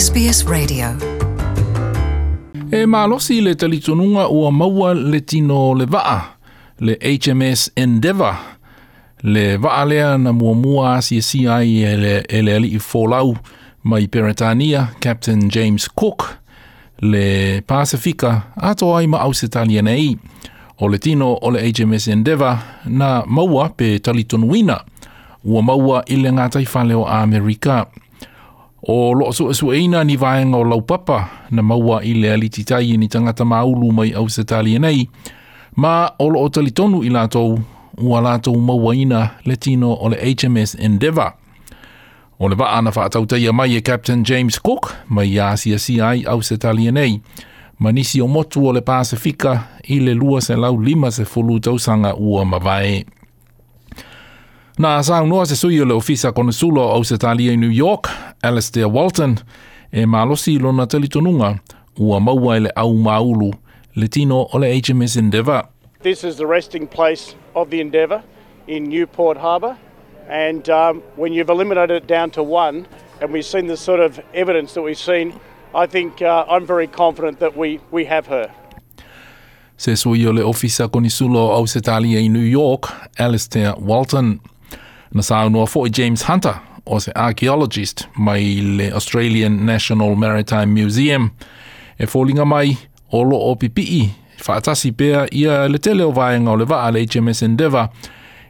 SBS Radio. E malosi le talitonuga ua maua le tino o le vaa, le HMS Endeavour, le vaa lea na muamua asiasia ai e le alii folau mai Peretania, Captain James Cook, le Pasifika atoa ai ma Ausetalia nei. O le tino o le HMS Endeavour na maua pe talitonuina ua maua i le gataifale o Amerika. O loo suesueina ni vaega o laupapa na maua i le alititai e ni tagata maulu mai Ausetalia nei, ma o loo talitonu i latou ua latou mauaina le tino o le HMS Endeavour. O le vaa na faatautaia mai e Captain James Cook mai asiasia ai Ausetalia nei, ma nisi o motu o le Pasifika i le 250 tausaga ua mavae. Na saunoa se sui o le Ofisa Konesula o Ausetalia i New York, Alistair Walton, e malosi lona talitonuga ua maua e le au maulu le tino o le HMS Endeavour. This is the resting place of the Endeavour in Newport Harbour, and when you've eliminated it down to one, and we've seen the sort of evidence that we've seen, I think I'm very confident that we have her. Se sui o le Ofisa Konesula o Ausetalia i New York, Alistair Walton. Na saunoa foi James Hunter, o se archaeologist mai le Australian National Maritime Museum, e foliga mai o loo pipii faatasi pea ia le tele o vaega o le vaa le HMS Endeavour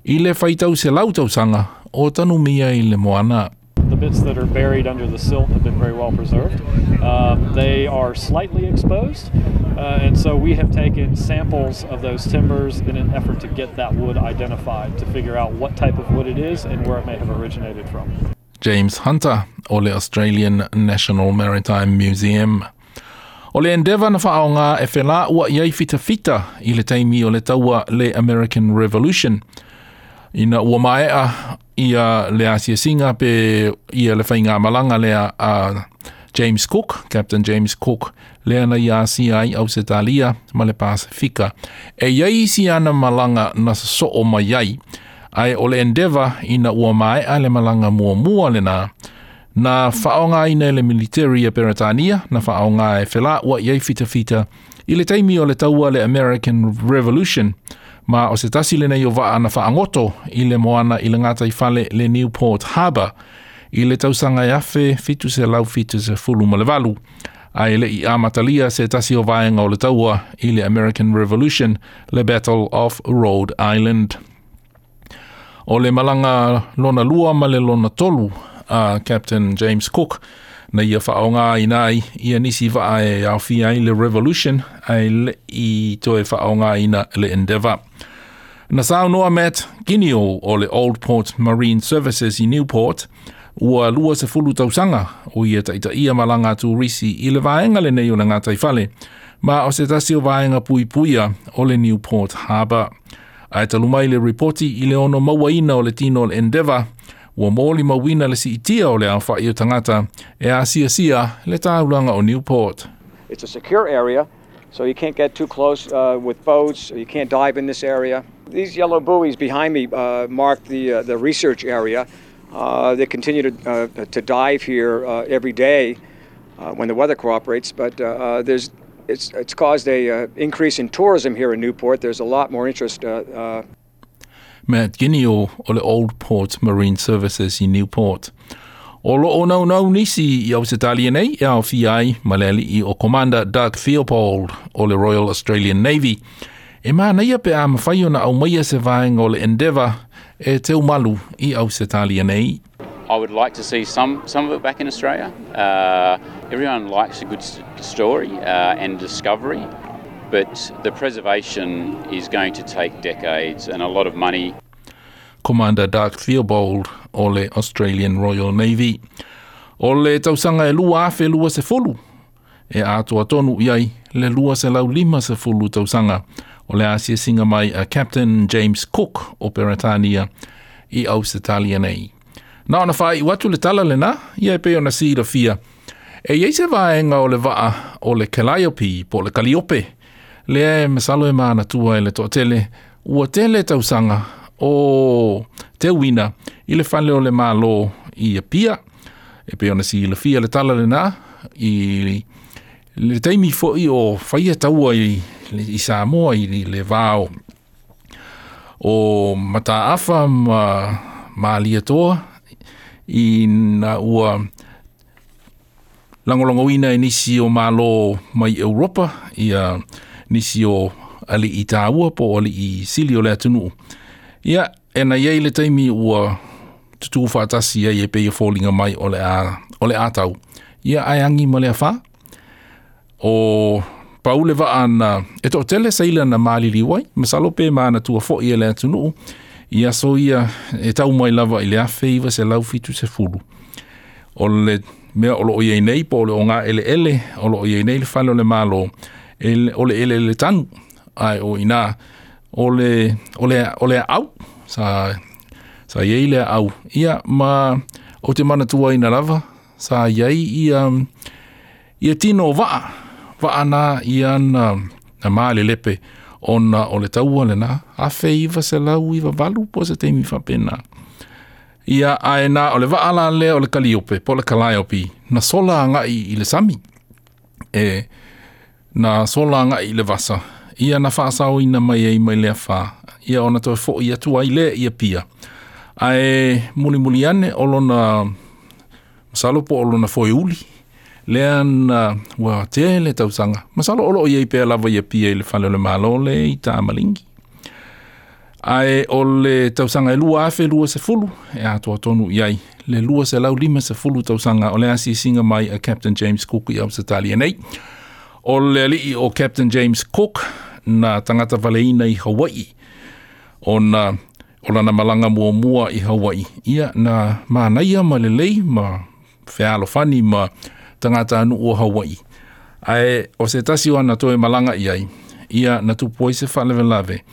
i le faitau 100 tausaga o tanumia i le moana. The bits that are buried under the silt have been very well preserved. They are slightly exposed, and so we have taken samples of those timbers in an effort to get that wood identified, to figure out what type of wood it is and where it may have originated from. James Hunter o le Australian National Maritime Museum. O le Endeavour na faaoga e felauai ai fitafita i le taimi o le taua le American Revolution. Ina ua maea ia le asiasiga pe ia le faigamalaga lea a James Cook, Captain James Cook, lea na ia asia ai Ausetalia ma le Pasifika. E iai isi ana malaga na sosoo mai ai, ae o le Endeavour ina ua maea le malaga muamua lena, na faaogaina e le military a Peretania, na faaoga e felauai ai fitafita i le taimi o le taua le American Revolution, ma o se tasi lenei o vaa na faagoto i le moana i le gataifale le Newport Harbour i le tausaga e 1778, ae lei amatalia se tasi o vaega o le taua i le American Revolution, le Battle of Rhode Island. O le malaga lona lua ma le lona tolu a Captain James Cook na ia faaogaina ai ia nisi vaa e aofia ai le Revolution, ae lei toe faaogaina le Endeavour. Na saunoa Matt Guineo o le Old Port Marine Services i Newport, ua 20 tausaga o ia taitaia malaga turisi i le vaega lenei o le gataifale, ma o se tasi o vaega puipuia o le Newport Harbour. Ae talu mai le ripoti i le ono mauaina o le tino o le Endeavour, ua molimauina le siitia o le aofai o tagata e asiasia le taulaga o Newport. It's a secure area, so you can't get too close with boats, you can't dive in this area. These yellow buoys behind me mark the research area. They continue to dive here every day when the weather cooperates, but it's caused a increase in tourism here in Newport. There's a lot more interest. Matt Guineo o le Old Port Marine Services i Newport. O loo naunau nisi i Ausetalia nei e aofia ai ma le alii o Commander Doug Theobald o le Royal Australian Navy. E manaia pe a mafai ona aumaia se vaega o le Endeavour e teumalu i Ausetalia nei. I would like to see some of it back in Australia. Everyone likes a good story and discovery, but the preservation is going to take decades and a lot of money. Commander Doug Theobald o le Australian Royal Navy. O le tausaga e 2020, e atoa tonu i ai le 250 tausaga o le asiasiga mai a Captain James Cook o Peretania i Ausetalia nei. Na ona faaiu atu le tala lena, ia e pei ona silafia. E iai se vaega o le vaa o le Calliope po o le Kaliope, lea e masalo e manatua e le toatele, ua tele tausaga o teuina i le fale o le Malo i Apia. E pei ona silafia le tala lena, i le taimi fo'i o faia taua i Samoa i le va o Mataafa ma Malietoa ina ua lagolagoina e nisi o Malo mai Europa ia nisi o ali'i taua po o ali'i sili o le atunuu. Ia, e na i ai le taimi ua tutū faatasi ai e pei e foliga mai o le a tau. Ia, ae agi ma le afā. O pau le vaa na e toatele seila na maliliu ai, masalo pe manatua fo'i e le atunuu i aso ia e tau mai lava i le 1970. O le mea o loo i ai nei po o le ogaeleele o loo i ai nei le fale o le Malo, o le eleele tanu, ae o ina o le aau sa i ai le aau. Ia, ma o te manatuaina lava sa i ai ia tino o vaa na ia na malelepe ona o le taua lena 1998 po o se taimi faapena. Ia, ae na o le vaa la lea o le Kaliope po o le Calliope na sola agai i le sami, e na sola agai i le vasa, ia na faasaoina mai ai mai le afā, ia ona toe fo'i atu ai lea i Apia. Ae mulimuli ane o lona masalo po o lona foeuli lea na ua tele tausaga, masalo o loo i ai pea lava i Apia i le fale o le Malo le i Tamaligi. Ae o le tausaga e 2020 e atoa tonu i ai le 250 tausaga o le asiasiga mai a Captain James Cook i Ausetalia nei. O le alii o Captain James Cook na tagata valeina i Hawaii, ona o lana malaga muamua i Hawaii, ia na manaia ma lelei ma fealofani ma tagata nuu o Hawaii. Ae o se tasi o ana toe malaga i ai, ia na tupu ai se faalavelave,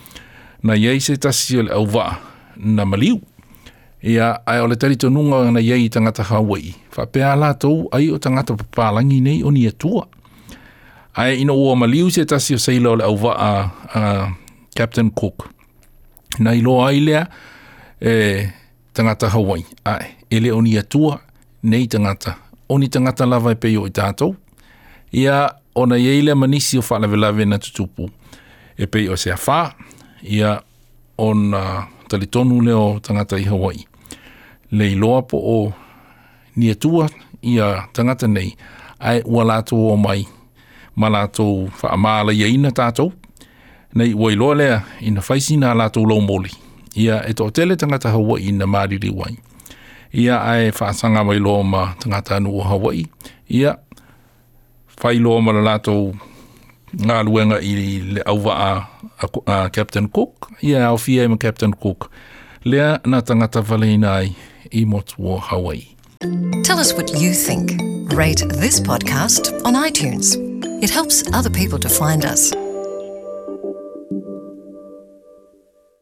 na i ai se tasi o le auvaa na maliu. Ia, ae o le talitonuga na i ai i tagata Hawaii, faapea latou ai o tagata papalangi nei o ni Atua. Ae ina ua maliu se tasi o seila o le auvaa a Captain Cook, na iloa ai lea e tagata Hawaii, ae e le o ni Atua nei tagata, o ni tagata lava e pei o i tatou. Ia, ona i ai lea ma nisi o faalavelave na tutupu e pei o se afā, ia ona talitonu lea o tagata i Hawaii, le iloa po o ni Atua ia tagata nei, ae ua latou omai ma latou faamalaiaina tatou, nei ua iloa lea ina fai sina a latou laumoli. Ia, e toatele tagata Hawaii na maliliu ai. Ia, ae faasaga mai loa ma tagata nuu o Hawaii, ia fai loa ma le latou galuega i le auvaa a Captain Cook, ia aofia ai ma Captain Cook, lea na tagata valeina ai i motu o Hawaii. Tell us what you think. Rate this podcast on iTunes. It helps other people to find us.